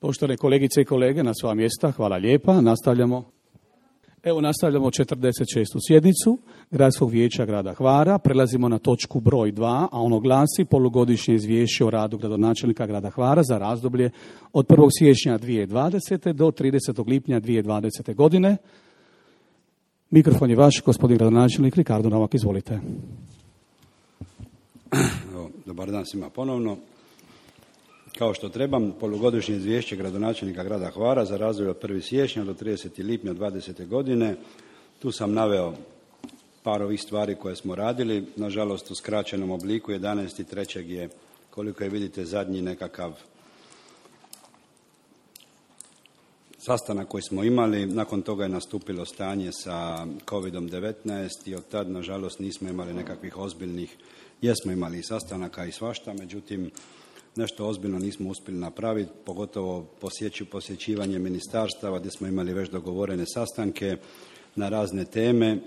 Poštovane kolegice i kolege, na sva mjesta, hvala lijepa. Nastavljamo 46. sjednicu Gradskog vijeća grada Hvara. Prelazimo na točku broj 2, a ono glasi polugodišnje izvješće o radu gradonačelnika grada Hvara za razdoblje od 1. siječnja 2020. do 30. lipnja 2020. godine. Mikrofon je vaš, gospodin gradonačelnik Ricardo Novak, izvolite. Dobar dan svima ponovno. Kao što trebam, polugodišnje izvješće gradonačelnika grada Hvara za razdoblje od 1. siječnja do 30. lipnja 2020. godine. Tu sam naveo par ovih stvari koje smo radili. Nažalost, u skraćenom obliku 11.3. je, koliko je vidite, zadnji nekakav sastanak koji smo imali. Nakon toga je nastupilo stanje sa COVID-19 i od tad, nažalost, nismo imali nekakvih ozbiljnih, jesmo imali i sastanaka i svašta, međutim, nešto ozbiljno nismo uspjeli napraviti, pogotovo posjećivanje ministarstava gdje smo imali već dogovorene sastanke na razne teme.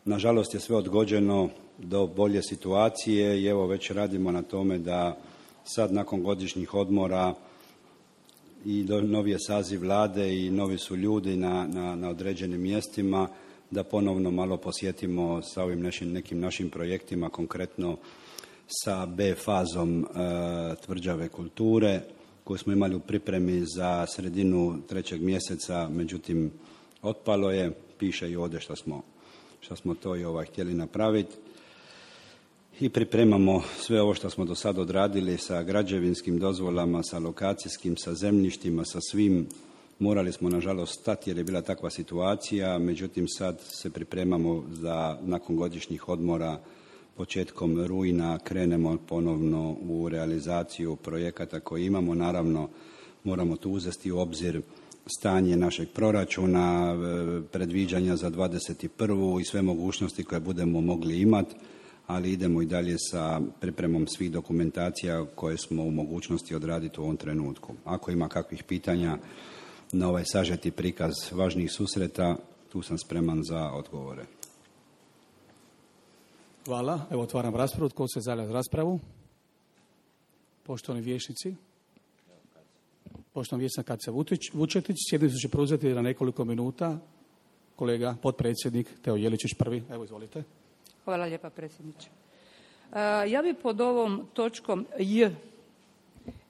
Nažalost je sve odgođeno do bolje situacije i evo već radimo na tome da sad nakon godišnjih odmora i novi je saziv vlade i novi su ljudi na određenim mjestima, da ponovno malo posjetimo sa ovim nekim našim projektima, konkretno sa B fazom tvrđave kulture koju smo imali u pripremi za sredinu 3. mjeseca, međutim otpalo je, piše i ovdje što smo to i htjeli napraviti. I pripremamo sve ovo što smo do sada odradili sa građevinskim dozvolama, sa lokacijskim, sa zemljištima, sa svim. Morali smo nažalost stati jer je bila takva situacija, međutim sad se pripremamo da nakon godišnjih odmora početkom rujna krenemo ponovno u realizaciju projekata koje imamo. Naravno, moramo tu uzeti u obzir stanje našeg proračuna, predviđanja za 21. i sve mogućnosti koje budemo mogli imati, ali idemo i dalje sa pripremom svih dokumentacija koje smo u mogućnosti odraditi u ovom trenutku. Ako ima kakvih pitanja na ovaj sažeti prikaz važnijih susreta, tu sam spreman za odgovore. Hvala. Evo otvaram raspravu. Tko se javlja za raspravu? Poštovani vijećnici. Poštovani vijećnik Katica Vučetić. Sjednicu će preuzeti na nekoliko minuta kolega potpredsjednik Teo Jeličić prvi. Evo izvolite. Hvala lijepa predsjedniče. Ja bi pod ovom točkom J,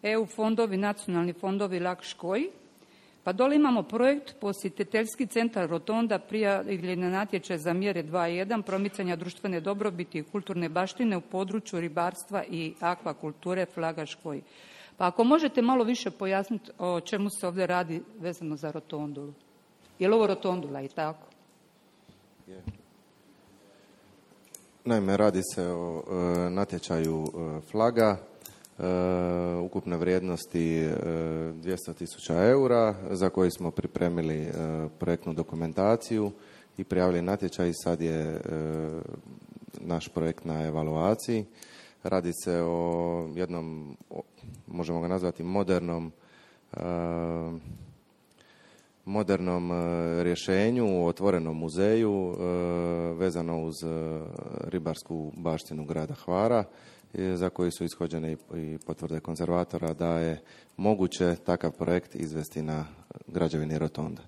EU fondovi, nacionalni fondovi Lakškoj, pa dole imamo projekt posjetiteljski centar Rotonda prijavljen na natječaj za mjere 2.1 promicanja društvene dobrobiti i kulturne baštine u području ribarstva i akvakulture Flagaškoj. Pa ako možete malo više pojasniti o čemu se ovdje radi vezano za Rotondulu. Je li ovo Rotondula i tako? Je. Naime, radi se o natječaju Flaga, ukupne vrijednosti 200.000 eura za koji smo pripremili projektnu dokumentaciju i prijavili natječaj. Sad je naš projekt na evaluaciji. Radi se o jednom, možemo ga nazvati modernom rješenju u otvorenom muzeju vezano uz ribarsku baštinu grada Hvara, za koji su ishođene i potvrde konzervatora da je moguće takav projekt izvesti na građevini Rotonda.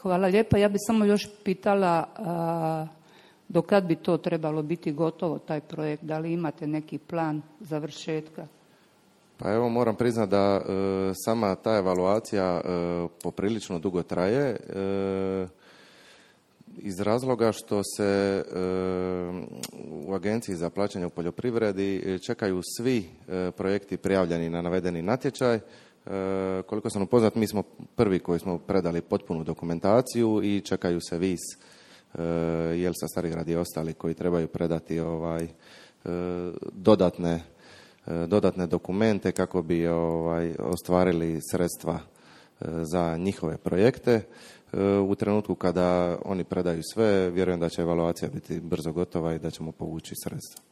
Hvala lijepa. Ja bih samo još pitala do kad bi to trebalo biti gotovo, taj projekt? Da li imate neki plan završetka? Pa evo, moram priznati da sama ta evaluacija poprilično dugo traje iz razloga što se u Agenciji za plaćanje u poljoprivredi čekaju svi projekti prijavljeni na navedeni natječaj. Koliko sam upoznat, mi smo prvi koji smo predali potpunu dokumentaciju i čekaju se vis Jelsa Starigrad i ostali koji trebaju predati dodatne dokumente kako bi ostvarili sredstva za njihove projekte. U trenutku kada oni predaju sve, vjerujem da će evaluacija biti brzo gotova i da ćemo povući sredstva.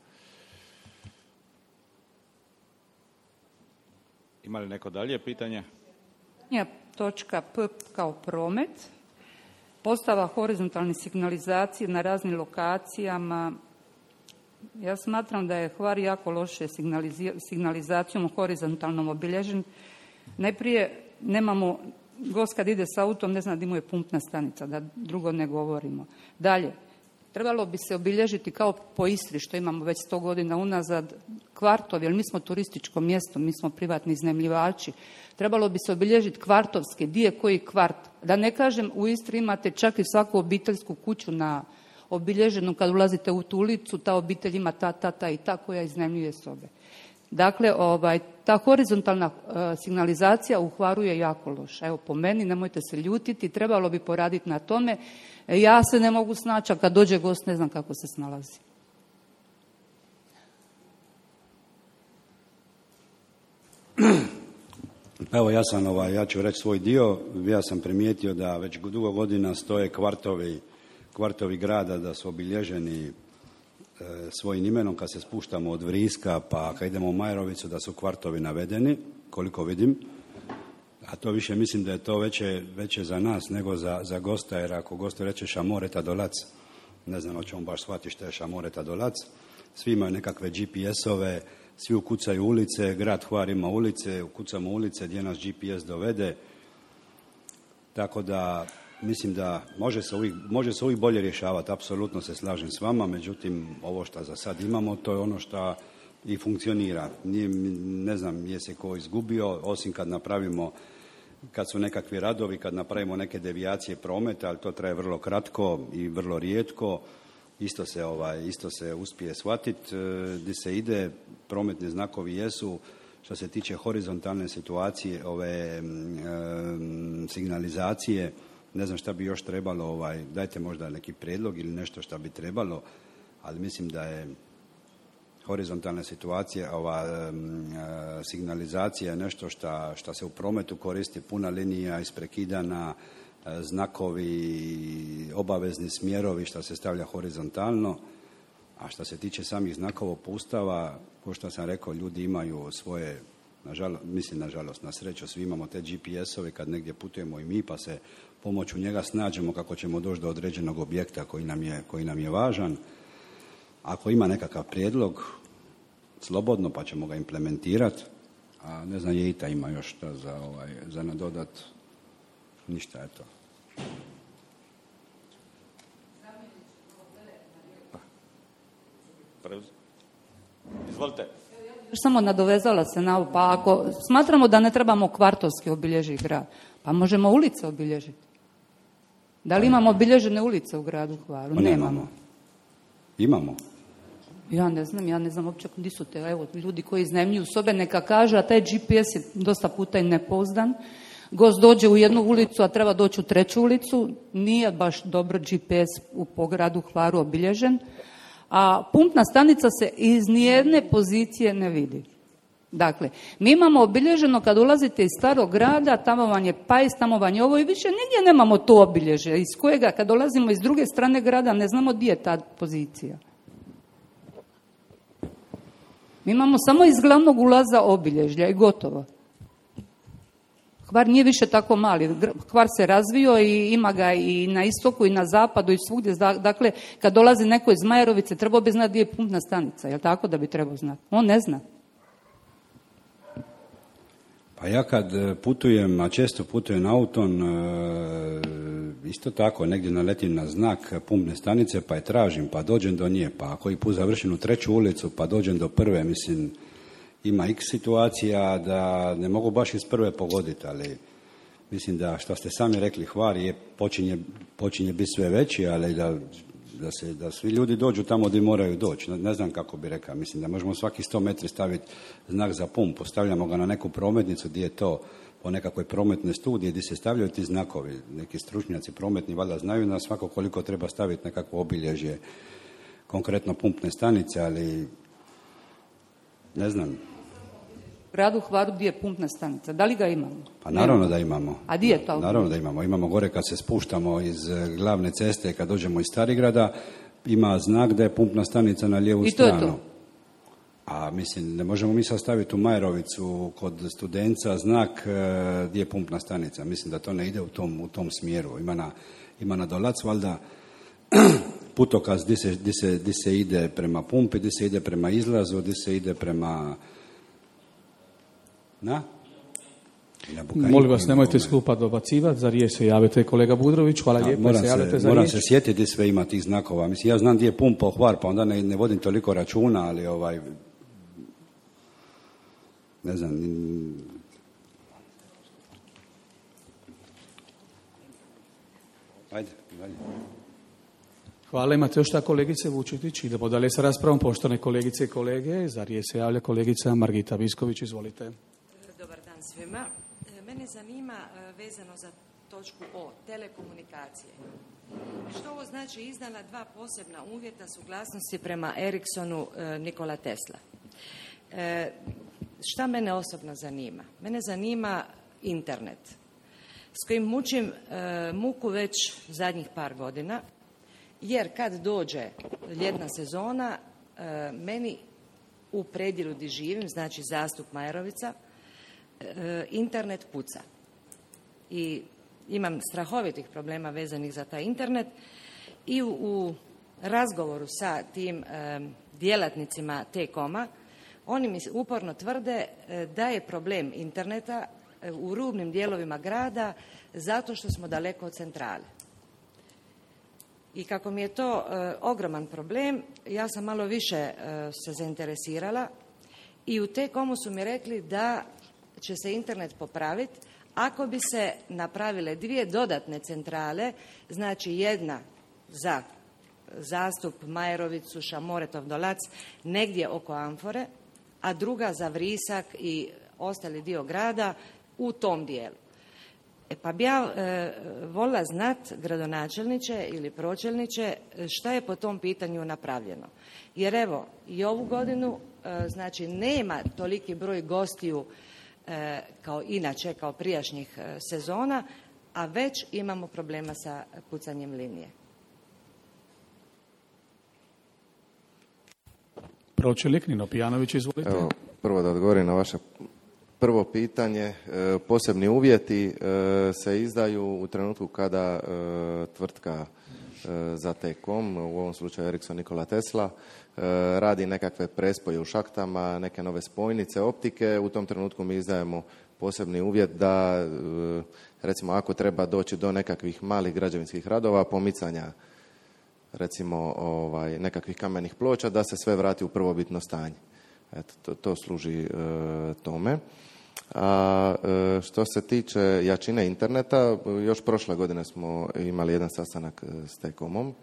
Ima li neko dalje pitanje? Točka P kao promet. Postava horizontalne signalizacije na raznim lokacijama Ja smatram da je Hvar jako loše signalizacijom horizontalnom obilježen. Najprije nemamo, gost kad ide s autom ne zna di mu je pumpna stanica, da drugo ne govorimo. Dalje, trebalo bi se obilježiti kao po Istri, što imamo već 100 godina unazad, kvartovi, jer mi smo turističko mjesto, mi smo privatni iznajmljivači. Trebalo bi se obilježiti kvartovski, di je koji kvart. Da ne kažem, u Istri imate čak i svaku obiteljsku kuću na obilježenu, kad ulazite u tu ulicu, ta obitelj ima ta i ta koja iznajmljuje sobe. Dakle, ta horizontalna signalizacija u Hvaru je jako loša. Evo, po meni, nemojte se ljutiti, trebalo bi poraditi na tome. Ja se ne mogu snaći, a kad dođe gost ne znam kako se snalazi. Evo, ja ću reći svoj dio. Ja sam primijetio da već dugo godina stoje kvartovi grada da su obilježeni svojim imenom. Kad se spuštamo od Vriska pa kad idemo u Majerovicu da su kvartovi navedeni, koliko vidim. A to više mislim da je to veće za nas nego za gosta, jer ako gostu reče Šamoreta Dolac, ne znam o čemu baš shvati što je Šamoreta Dolac. Svi imaju nekakve GPS-ove, svi ukucaju ulice, grad Hvar ima ulice, ukucamo ulice gdje nas GPS dovede. Tako da mislim da može se uvijek bolje rješavati, apsolutno se slažem s vama, međutim ovo što za sad imamo to je ono što i funkcionira. Ne znam je se ko izgubio, osim kad su nekakvi radovi, kad napravimo neke devijacije prometa, ali to traje vrlo kratko i vrlo rijetko. Isto se uspije shvatiti gdje se ide, prometni znakovi jesu. Što se tiče horizontalne situacije, signalizacije, ne znam šta bi još trebalo, dajte možda neki prijedlog ili nešto šta bi trebalo, ali mislim da je horizontalna situacija, signalizacija je nešto što se u prometu koristi, puna linija isprekidana, znakovi, obavezni smjerovi što se stavlja horizontalno. A što se tiče samih znakova uputstava, kao što sam rekao, ljudi imaju svoje, nažalost, na sreću, svi imamo te GPS-ove kad negdje putujemo i mi, pa se pomoću njega snađemo kako ćemo doći do određenog objekta koji nam je važan. Ako ima nekakav prijedlog, slobodno, pa ćemo ga implementirati. A ne znam, Jejita ima još šta za nadodat. Ništa je to. Izvolite. Samo nadovezala se na ovo, pa ako smatramo da ne trebamo kvartovski obilježiti grad, pa možemo ulice obilježiti. Da li imamo obilježene ulice u gradu Hvaru? Nemamo. Imamo. Ja ne znam uopće gdje su te, evo, ljudi koji iznajmljuju sobe, neka kaže, a taj GPS je dosta puta i nepouzdan. Gost dođe u jednu ulicu, a treba doći u treću ulicu, nije baš dobro GPS po gradu Hvaru obilježen, a pumpna stanica se iz nijedne pozicije ne vidi. Dakle, mi imamo obilježeno kad ulazite iz starog grada, tamo vam je Pajs, tamo vam je ovo i više nigdje nemamo to obilježje, iz kojega kad dolazimo iz druge strane grada ne znamo gdje je ta pozicija. Mi imamo samo iz glavnog ulaza obilježja i gotovo. Hvar nije više tako mali. Hvar se razvio i ima ga i na istoku i na zapadu i svugdje. Dakle, kad dolazi neko iz Majerovice, trebao bi znati gdje je pumpna stanica. Je li tako da bi trebao znati? On ne zna. Pa ja kad putujem, a često putujem autom, isto tako, negdje naletim na znak pumpne stanice, pa je tražim, pa dođem do nje, pa koji put završim u treću ulicu, pa dođem do prve, mislim, ima x situacija da ne mogu baš iz prve pogoditi, ali mislim da, što ste sami rekli, Hvar počinje biti sve veći, ali da svi ljudi dođu tamo gdje moraju doći. Ne znam kako bi rekao, mislim da možemo svaki 100 metri staviti znak za pumpu, stavljamo ga na neku prometnicu gdje je to po nekakvoj prometnoj studiji gdje se stavljaju ti znakovi. Neki stručnjaci prometni valjda znaju na svako koliko treba staviti nekakvo obilježje, konkretno pumpne stanice, ali ne znam. U gradu Hvaru gdje je pumpna stanica, da li ga imamo? Pa naravno da imamo. A gdje je to? Naravno da imamo. Imamo gore kad se spuštamo iz glavne ceste, kad dođemo iz Starigrada, ima znak da je pumpna stanica na lijevu stranu. I to je to. A mislim, ne možemo mi sad staviti u Majerovicu kod Studenca znak gdje je pumpna stanica. Mislim da to ne ide u tom smjeru. Ima na Dolac, valjda, putokaz gdje se ide prema pumpi, gdje se ide prema izlazu, gdje se ide prema... Molim vas, nemojte s klupa dobacivati, za riječ se javite kolega Budrović, hvala lijepo. Moram se sjetiti gdje sve ima tih znakova. Mislim, ja znam gdje je pumpa Hvar, pa onda ne vodim toliko računa, ali ne znam... Ajde, dalje. Hvala, imate još šta kolegice Vučetić? Idemo dalje sa raspravom, poštovane kolegice i kolege. Za riječ se javlja kolegica Margita Visković, izvolite. Dobar dan svima. Mene zanima vezano za točku O, telekomunikacije. Što ovo znači izdana 2 posebna uvjeta suglasnosti prema Ericssonu Nikola Tesla? Šta mene osobno zanima? Mene zanima internet s kojim mučim muku već zadnjih par godina, jer kad dođe ljetna sezona, meni u predjelu gdje živim, znači Zastup Majerovica, internet puca. I imam strahovitih problema vezanih za taj internet i u razgovoru sa tim djelatnicima T-Coma, oni mi uporno tvrde da je problem interneta u rubnim dijelovima grada zato što smo daleko od centrale. I kako mi je to ogroman problem, ja sam malo više se zainteresirala i u T-Comu su mi rekli da će se internet popraviti ako bi se napravile 2 dodatne centrale, znači jedna za Zastup, Majerovicu, Šamoretov Dolac, negdje oko Amfore, a druga za Vrisak i ostali dio grada u tom dijelu. Pa bi ja volila znati, gradonačelniče ili pročelniče, šta je po tom pitanju napravljeno. Jer evo, i ovu godinu, znači nema toliki broj gostiju kao inače, kao prijašnjih sezona, a već imamo problema sa pucanjem linije. Pročelnik Nino Pijanović, izvolite. Evo, prvo da odgovorim na vaše prvo pitanje. Posebni uvjeti se izdaju u trenutku kada tvrtka za T-Com, u ovom slučaju Ericsson Nikola Tesla, radi nekakve prespoje u šahtama, neke nove spojnice, optike. U tom trenutku mi izdajemo posebni uvjet da, recimo, ako treba doći do nekakvih malih građevinskih radova, pomicanja, recimo, nekakvih kamenih ploča, da se sve vrati u prvobitno stanje. Eto, to služi tome. A što se tiče jačine interneta, još prošle godine smo imali jedan sastanak s T-Comom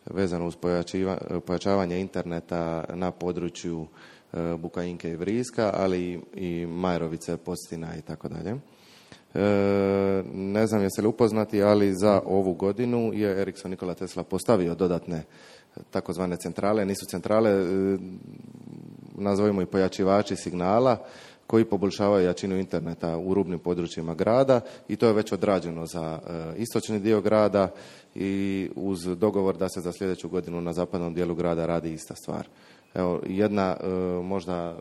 vezano uz pojačavanje interneta na području Bukajinke i Vriska, ali i Majerovice, Postina i tako dalje. Ne znam jeste li upoznati, ali za ovu godinu je Ericsson Nikola Tesla postavio dodatne takozvane centrale. Nisu centrale, nazovimo i pojačivači signala, koji poboljšavaju jačinu interneta u rubnim područjima grada i to je već odrađeno za istočni dio grada i uz dogovor da se za sljedeću godinu na zapadnom dijelu grada radi ista stvar. Evo, jedna možda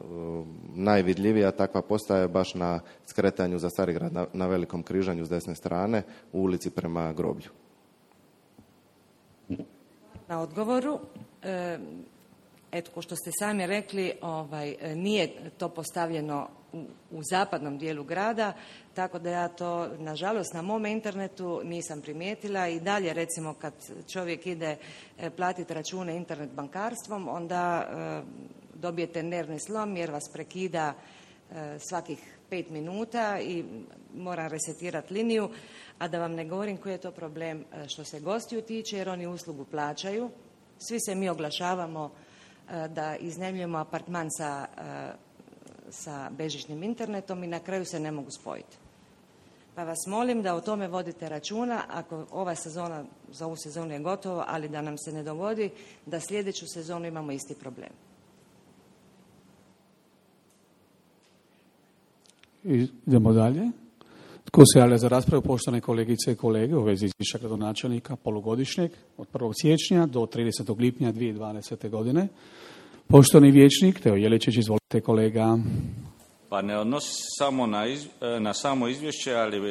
najvidljivija takva postaje baš na skretanju za Starigrad na Velikom križanju s desne strane u ulici prema groblju. Na odgovoru, eto, ko što ste sami rekli, nije to postavljeno u zapadnom dijelu grada, tako da ja to, nažalost, na mom internetu nisam primijetila i dalje, recimo, kad čovjek ide platiti račune internet bankarstvom, onda dobijete nervni slom jer vas prekida svakih 5 minuta i moram resetirati liniju, a da vam ne govorim koji je to problem što se gostiju tiče, jer oni uslugu plaćaju. Svi se mi oglašavamo da iznajmljujemo apartman sa bežičnim internetom i na kraju se ne mogu spojiti. Pa vas molim da o tome vodite računa, ako ova sezona, za ovu sezonu je gotovo, ali da nam se ne dogodi da sljedeću sezonu imamo isti problem. Idemo dalje. Tko se javlja za raspravu, poštovane kolegice i kolege, u vezi izvješća gradonačelnika polugodišnjeg od 1. siječnja do 30. lipnja 2020. godine? Poštovani vijećnik Teo Jeličić, izvolite kolega. Pa ne odnosi samo na samo izvješće, ali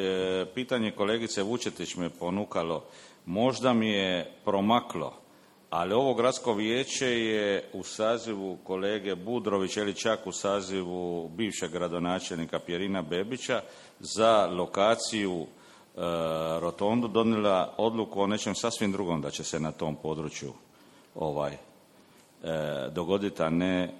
pitanje kolegice Vučetić me ponukalo. Možda mi je promaklo, Ali ovo gradsko vijeće je u sazivu kolege Budrovića ili čak u sazivu bivšeg gradonačelnika Pjerina Bebića za lokaciju rotondu donijela odluku o nečem sasvim drugom da će se na tom području dogoditi,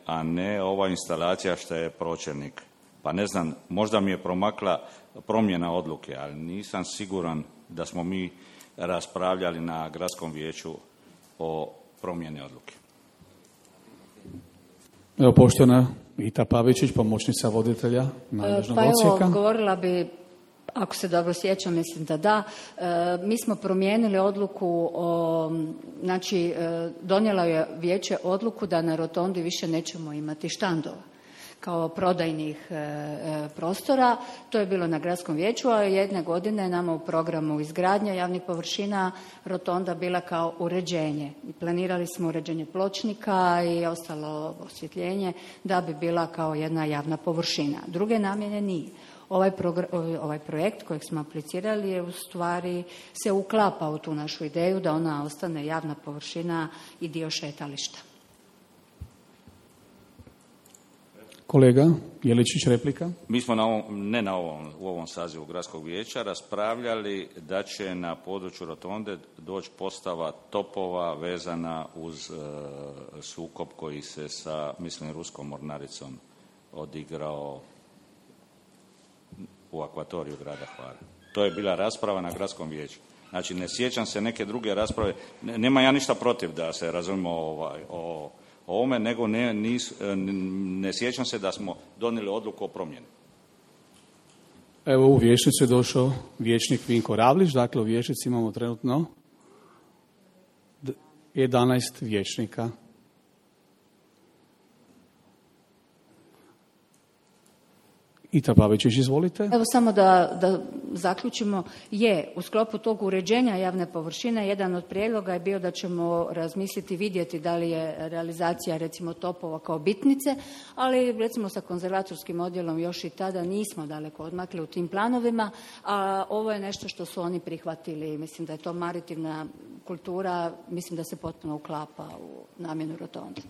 a ne ova instalacija što je pročelnik. Pa ne znam, možda mi je promakla promjena odluke, ali nisam siguran da smo mi raspravljali na gradskom vijeću o promjeni odluke. Evo, poštovana Ita Pavičić, pomoćnica voditelja nadležnog odsjeka. Evo, govorila bi, ako se dobro sjećam, mislim da. Mi smo promijenili odluku, znači donijelo je vijeće odluku da na rotondi više nećemo imati štandova kao prodajnih prostora. To je bilo na gradskom vijeću, a jedne godine nama u programu izgradnje javnih površina rotonda bila kao uređenje. Planirali smo uređenje pločnika i ostalo osvjetljenje da bi bila kao jedna javna površina. Druge namjene nije. Ovaj projekt kojeg smo aplicirali je u stvari se uklapa u tu našu ideju da ona ostane javna površina i dio šetališta. Kolega Jeličić, replika. Mi smo u ovom sazivu gradskog vijeća raspravljali da će na području rotonde doći postava topova vezana uz sukob koji se sa, mislim, ruskom mornaricom odigrao u akvatoriju grada Hvara. To je bila rasprava na gradskom vijeću. Znači, ne sjećam se neke druge rasprave. Nema ja ništa protiv da se razumimo o ovome, nego ne sjećam se da smo donijeli odluku o promjeni. Evo, u vijećnicu je došao vijećnik Vinko Ravlić. Dakle, u vijećnici imamo trenutno 11 vijećnika. Ita Pavičić, izvolite. Evo samo da zaključimo, u sklopu tog uređenja javne površine jedan od prijedloga je bio da ćemo razmisliti, vidjeti da li je realizacija recimo topova kao bitnice, ali recimo sa konzervatorskim odjelom još i tada nismo daleko odmakli u tim planovima, a ovo je nešto što su oni prihvatili. Mislim da je to maritivna kultura, mislim da se potpuno uklapa u namjenu rotonde.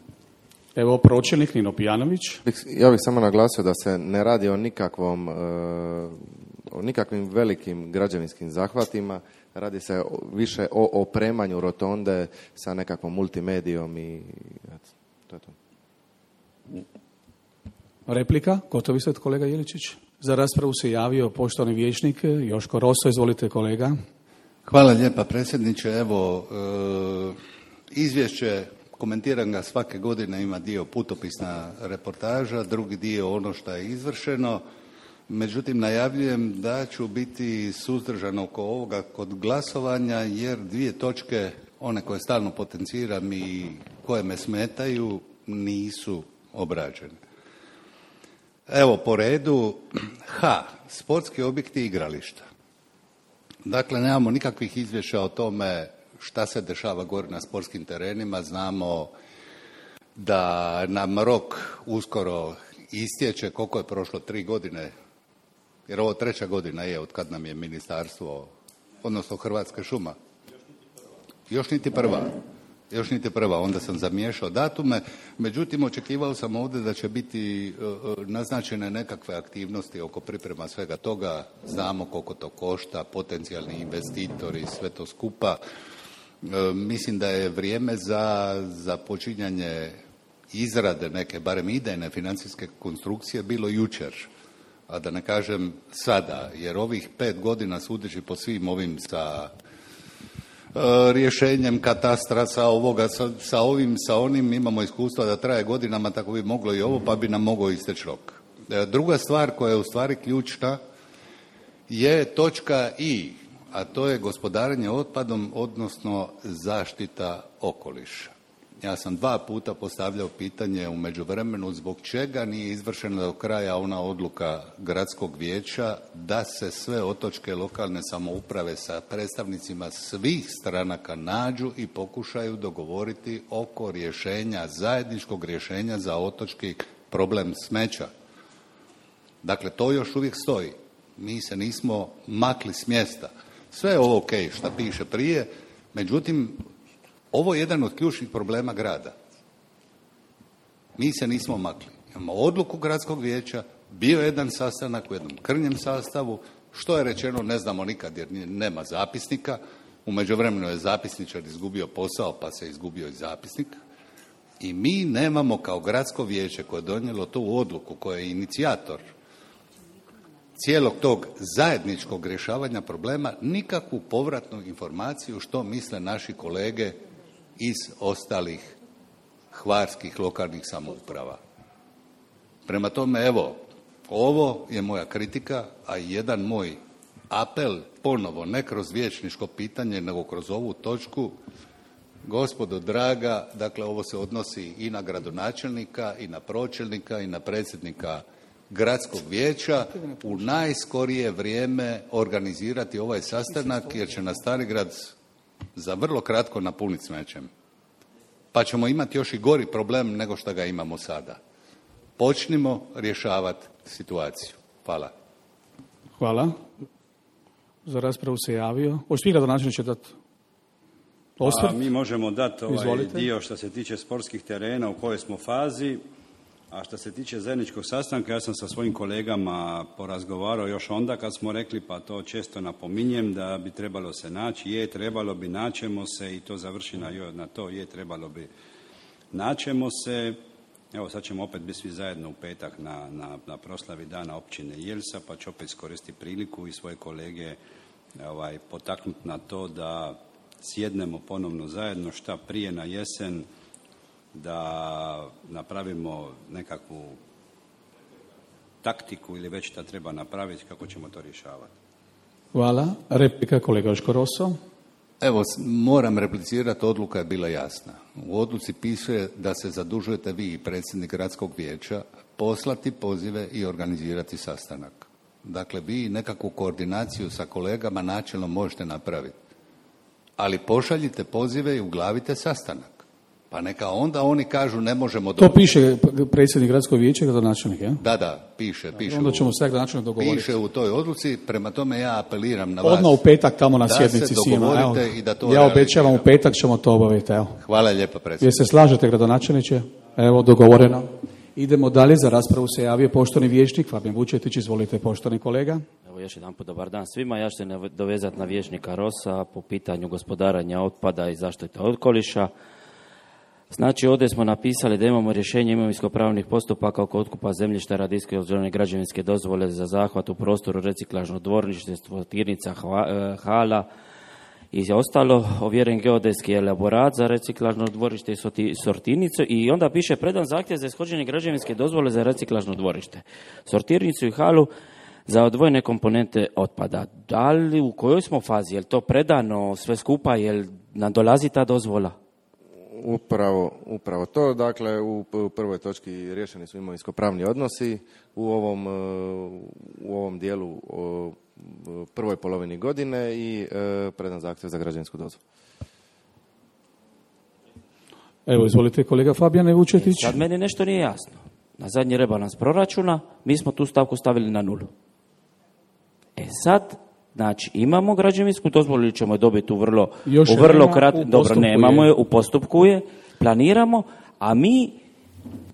Evo, pročelnik Nino Pijanović. Ja bih samo naglasio da se ne radi o nikakvim velikim građevinskim zahvatima. Radi se više o opremanju rotonde sa nekakvom multimedijom i to je to. Replika, gotovi ste, kolega Jeličić. Za raspravu se javio poštovani vijećnik Joško Roso. Izvolite, kolega. Hvala lijepa, predsjedniče. Evo, izvješće, komentiram ga svake godine, ima dio putopisna reportaža, drugi dio ono što je izvršeno. Međutim, najavljujem da ću biti suzdržan oko ovoga kod glasovanja, jer dvije točke, one koje stalno potenciram i koje me smetaju, nisu obrađene. Evo, po redu, sportski objekti i igrališta. Dakle, nemamo nikakvih izvješća o tome šta se dešava gore na sportskim terenima. Znamo da nam rok uskoro istječe. Koliko je prošlo? 3 godine? Jer ovo 3. godina je od kad nam je ministarstvo, odnosno Hrvatska šuma. Još niti prva. Onda sam zamiješao datume. Međutim, očekivao sam ovdje da će biti naznačene nekakve aktivnosti oko priprema svega toga. Znamo koliko to košta, potencijalni investitori, sve to skupa. Mislim da je vrijeme za počinjanje izrade neke, barem idejne financijske konstrukcije bilo jučer, a da ne kažem sada, jer ovih 5 godina sudeći po svim ovim sa rješenjem katastra, sa ovoga, sa ovim, sa onim, imamo iskustva da traje godinama, tako bi moglo i ovo, pa bi nam mogao isteći rok. Druga stvar koja je u stvari ključna je točka I, a to je gospodarenje otpadom, odnosno zaštita okoliša. Ja sam 2 puta postavljao pitanje u međuvremenu zbog čega nije izvršena do kraja ona odluka gradskog vijeća da se sve otočke lokalne samouprave sa predstavnicima svih stranaka nađu i pokušaju dogovoriti oko rješenja, zajedničkog rješenja za otočki problem smeća. Dakle, to još uvijek stoji. Mi se nismo makli s mjesta. Sve je ovo ok, šta piše prije, međutim, Ovo je jedan od ključnih problema grada. Mi se nismo makli. Imamo odluku gradskog vijeća, bio je jedan sastanak u jednom krnjem sastavu, što je rečeno ne znamo nikad jer nema zapisnika, u međuvremenu je zapisničar izgubio posao pa se izgubio i zapisnik i mi nemamo kao gradsko vijeće koje je donijelo tu odluku, koje je inicijator cijelog tog zajedničkog rješavanja problema, nikakvu povratnu informaciju što misle naši kolege iz ostalih hvarskih lokalnih samouprava. Prema tome, evo, ovo je moja kritika, a i jedan moj apel, ponovo, ne kroz vijećničko pitanje, nego kroz ovu točku. Gospodo draga, dakle, ovo se odnosi i na gradonačelnika, i na pročelnika, i na predsjednika gradskog vijeća, u najskorije vrijeme organizirati ovaj sastanak, jer će nas Starigrad za vrlo kratko napuniti smećem. Pa ćemo imati još i gori problem nego što ga imamo sada. Počnimo rješavati situaciju. Hvala. Hvala. Za raspravu se javio. Hoćete vi gradonačelniče dati osvrt? Mi možemo dati ovaj Izvolite. dio što se tiče sportskih terena u kojoj smo fazi, a što se tiče zajedničkog sastanka, ja sam sa svojim kolegama porazgovarao još onda kad smo rekli, pa to često napominjem, da bi trebalo se naći, trebalo bi, naćemo se i to završi na to, trebalo bi, naćemo se. Evo sad ćemo opet biti svi zajedno u petak na proslavi dana općine Jelsa, pa ću opet iskoristiti priliku i svoje kolege potaknuti na to da sjednemo ponovno zajedno šta prije na jesen, da napravimo nekakvu taktiku ili već šta treba napraviti, kako ćemo to rješavati. Hvala. Replika kolega Joško Roso. Evo, moram replicirati, odluka je bila jasna. U odluci piše da se zadužujete vi i predsjednik gradskog vijeća poslati pozive i organizirati sastanak. Dakle, vi nekakvu koordinaciju sa kolegama načelno možete napraviti. Ali pošaljite pozive i uglavite sastanak. Pa neka onda oni kažu ne možemo... To piše predsjednik gradskog vijeća i gradonačelnik, ja? Da, piše. Onda ćemo se gradonačelnik dogovoriti. Piše u toj odluci, prema tome ja apeliram na vas. Odmah u petak tamo na sjednici da se svima. dogovorite i da to ja obećavam u petak ćemo to obaviti. Evo. Hvala lijepa, predsjedniče. Jel se slažete, gradonačelniče? Evo, dogovoreno. Idemo dalje, za raspravu se javio poštovani vijećnik Fabijan Vučetić. Izvolite, poštovani kolega. Evo još jedan put dobar dan svima. Ja ću se dovezati na vijećnika Rosa po pitanju gospodaranja otpada i zaštite okoliša. Znači, ovdje smo napisali da imamo rješenje imovinsko-pravnih postupaka oko otkupa zemljišta radi ishođenja građevinske dozvole za zahvat u prostoru reciklažno dvorište, sortirnica, hala i ostalo, ovjeren geodetski elaborat za reciklažno dvorište i sortirnicu i onda piše predan zahtjev za ishođenje građevinske dozvole za reciklažno dvorište, sortirnicu i halu za odvojene komponente otpada. Da li, u kojoj smo fazi? Je li to predano sve skupa? Je li nam dolazi ta dozvola? Upravo to. Dakle, u prvoj točki riješeni su imovinsko-pravni odnosi. U ovom dijelu prvoj polovini godine i predan zahtjev za građevinsku dozvolu. Evo, izvolite kolega Fabijane Vučetić. Sad meni nešto nije jasno. Na zadnji rebalans proračuna mi smo tu stavku stavili na 0. sad, znači, imamo građevinsku dozvolu ili ćemo je dobiti u vrlo kratko, dobro, nemamo je, u postupku je, planiramo, a mi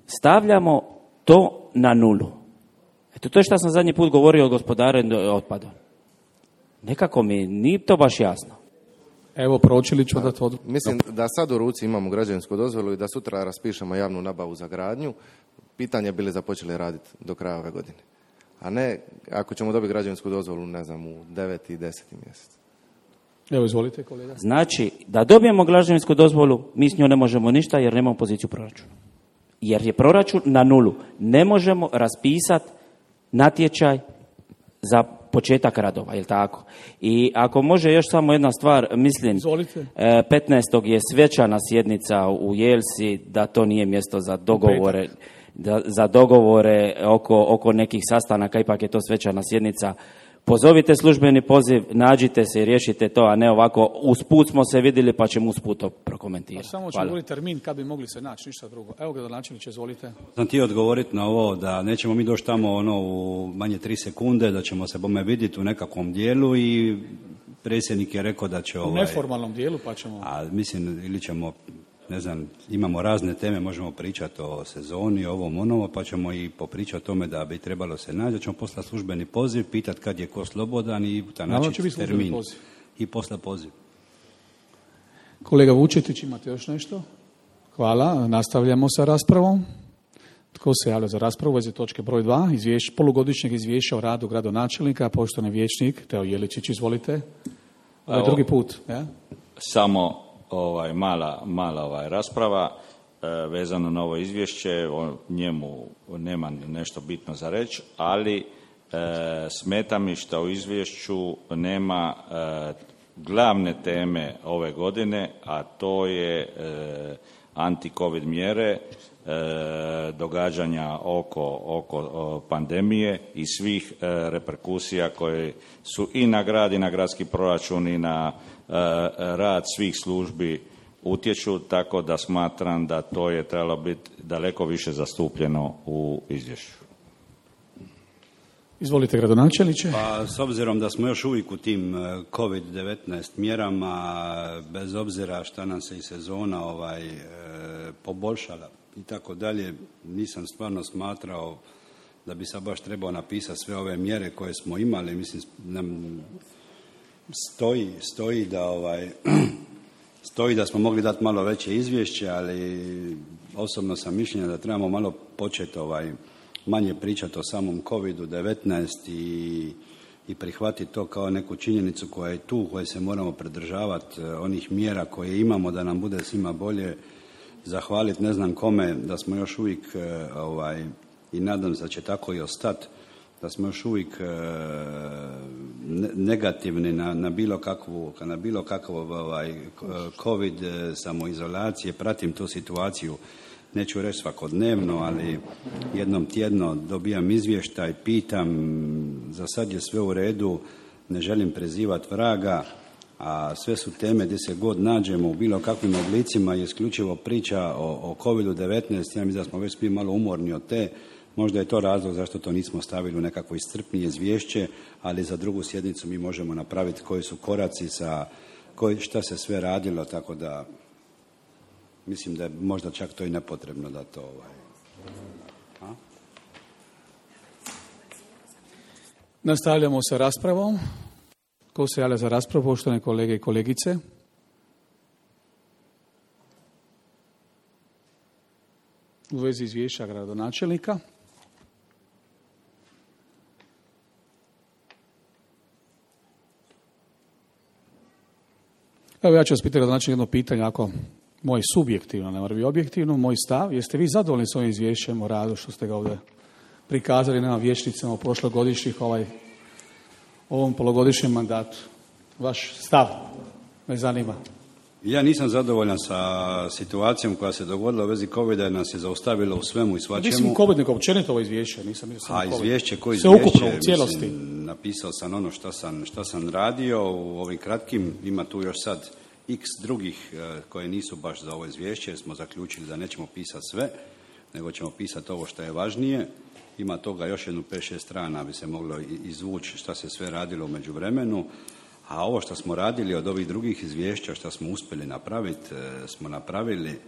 stavljamo to na 0. Eto, to je što sam zadnji put govorio o gospodarenju otpadom. Nekako mi nije to baš jasno. Evo, pročili ću da to... Mislim da sad u ruci imamo građevinsku dozvolu i da sutra raspišemo javnu nabavu za gradnju, pitanje bili započeli raditi do kraja ove godine. A ne, ako ćemo dobiti građevinsku dozvolu, ne znam, u 9. i 10. mjesec. Evo, izvolite, kolega. Znači, da dobijemo građevinsku dozvolu, mi s njom ne možemo ništa jer nemamo poziciju proračuna. Jer je proračun na 0. Ne možemo raspisati natječaj za početak radova, je li tako? I ako može još samo jedna stvar, mislim, izvolite. 15. je svečana sjednica u Jelsi, da to nije mjesto za dogovore, za dogovore oko nekih sastanaka, ipak je to svečana sjednica. Pozovite službeni poziv, nađite se i riješite to, a ne ovako, usput smo se vidjeli pa ćemo usput to prokomentirati. Samo ćemo govoriti termin kad bi mogli se naći, ništa drugo. Evo, gradonačelniče, izvolite. Sam ti odgovoriti na ovo da nećemo mi doći tamo u manje 3 sekunde, da ćemo se bome vidjeti u nekakvom dijelu i predsjednik je rekao da će U neformalnom dijelu pa ćemo... A mislim, ili ćemo, ne znam, imamo razne teme, možemo pričati o sezoni, ovom, onovo, pa ćemo i popričati o tome da bi trebalo se naći, ćemo poslati službeni poziv, pitati kad je ko slobodan i naći termin. I poslati poziv. Kolega Vučetić, imate još nešto? Hvala, nastavljamo sa raspravom. Tko se javlja za raspravu u vezi točke broj 2, polugodišnjeg izvješća o radu gradonačelnika, poštovani vijećnik Teo Jeličić, izvolite. Ovo je drugi put. Ja? Samo mala rasprava vezano na ovo izvješće, o njemu nema nešto bitno za reći, ali smeta mi što u izvješću nema glavne teme ove godine, a to je anti-covid mjere, događanja oko pandemije i svih reperkusija koje su i na grad i na gradski proračun i na rad svih službi utječu, tako da smatram da to je trebalo biti daleko više zastupljeno u izvješću. Izvolite, gradonačelniče. Pa, s obzirom da smo još uvijek u tim COVID-19 mjerama, bez obzira šta nam se i sezona poboljšala i tako dalje, nisam stvarno smatrao da bi sad baš trebao napisati sve ove mjere koje smo imali. Mislim, nam stoji da smo mogli dati malo veće izvješće, ali osobno sam mišljenja da trebamo malo početi manje pričati o samom COVID-19 i prihvatiti to kao neku činjenicu koja je tu, koje se moramo pridržavati, onih mjera koje imamo da nam bude svima bolje, zahvaliti ne znam kome da smo još uvijek i nadam se da će tako i ostati, da smo još uvijek negativni na bilo kakvu COVID samoizolacije. Pratim tu situaciju, neću reći svakodnevno, ali jednom tjedno dobijam izvještaj, pitam, za sad je sve u redu, ne želim prezivati vraga, a sve su teme gdje se god nađemo u bilo kakvim oblicima i isključivo priča o COVID-19. Ja mislim da smo već svi malo umorni od te. Možda je to razlog zašto to nismo stavili u nekakvo iscrpnije izvješće, ali za drugu sjednicu mi možemo napraviti koji su koraci šta se sve radilo, tako da mislim da je možda čak to i nepotrebno da to Nastavljamo sa raspravom. Ko se javlja za raspravu, poštovane kolege i kolegice? U vezi izvješća gradonačelnika. Evo, ja ću vas pitati, gradonačelnik, jedno pitanje, ako moj subjektivno, ne mora biti objektivno, moj stav, jeste vi zadovoljni s ovim izvješćem o radu što ste ga ovdje prikazali nama vijećnicama u prošlogodišnjih ovom polugodišnjem mandatu? Vaš stav me zanima. Ja nisam zadovoljan sa situacijom koja se dogodila u vezi COVID-a, jer nas je zaustavilo u svemu i svačemu. Mislim COVID, nego općenito ovo izvješće. Izvješće, u cijelosti. Napisao sam ono što sam radio u ovim kratkim, ima tu još sad x drugih koje nisu baš za ovo izvješće, jer smo zaključili da nećemo pisati sve, nego ćemo pisati ovo što je važnije. Ima toga još jednu 5-6 strana bi se moglo izvući šta se sve radilo u međuvremenu. A ovo što smo radili od ovih drugih izvješća, što smo uspjeli napraviti, smo napravili.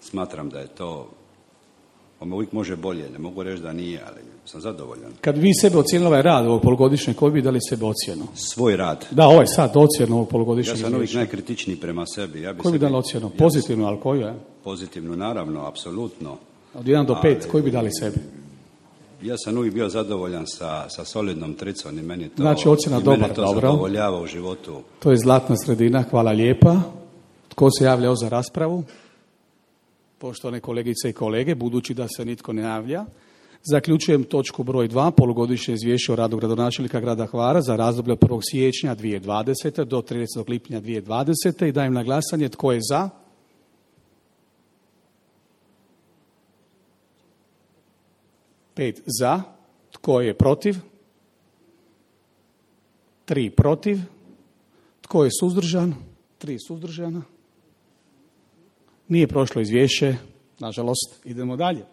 Smatram da je to, uvijek može bolje, ne mogu reći da nije, ali sam zadovoljan. Kad vi sebe ocijenili ovaj rad ovog polugodišnjeg, koji bi dali sebe ocjenu? Svoj rad. Da, ovaj sad ocjenu ovog polugodišnjeg izvješća. Ja sam uvijek najkritičniji prema sebi. Koji bi dali ocjenu? Pozitivnu, ali koju je? Pozitivnu, naravno, apsolutno. Od 1 do 5, koji bi dali sebi? Ja sam uvijek bio zadovoljan sa solidnom tricom i meni to, znači, ocjena dobar, dobro. Zadovoljava u životu. To je zlatna sredina, hvala lijepa. Tko se javlja za raspravu? Poštovane kolegice i kolege, budući da se nitko ne javlja, zaključujem točku broj 2, polugodišnje izvješće o radu gradonačelnika grada Hvara za razdoblje od 1. siječnja 2020. do 30. lipnja 2020. i dajem na glasanje tko je za. Pet za. Tko je protiv? 3 protiv. Tko je suzdržan? 3 suzdržana. Nije prošlo izvješće, nažalost. Idemo dalje.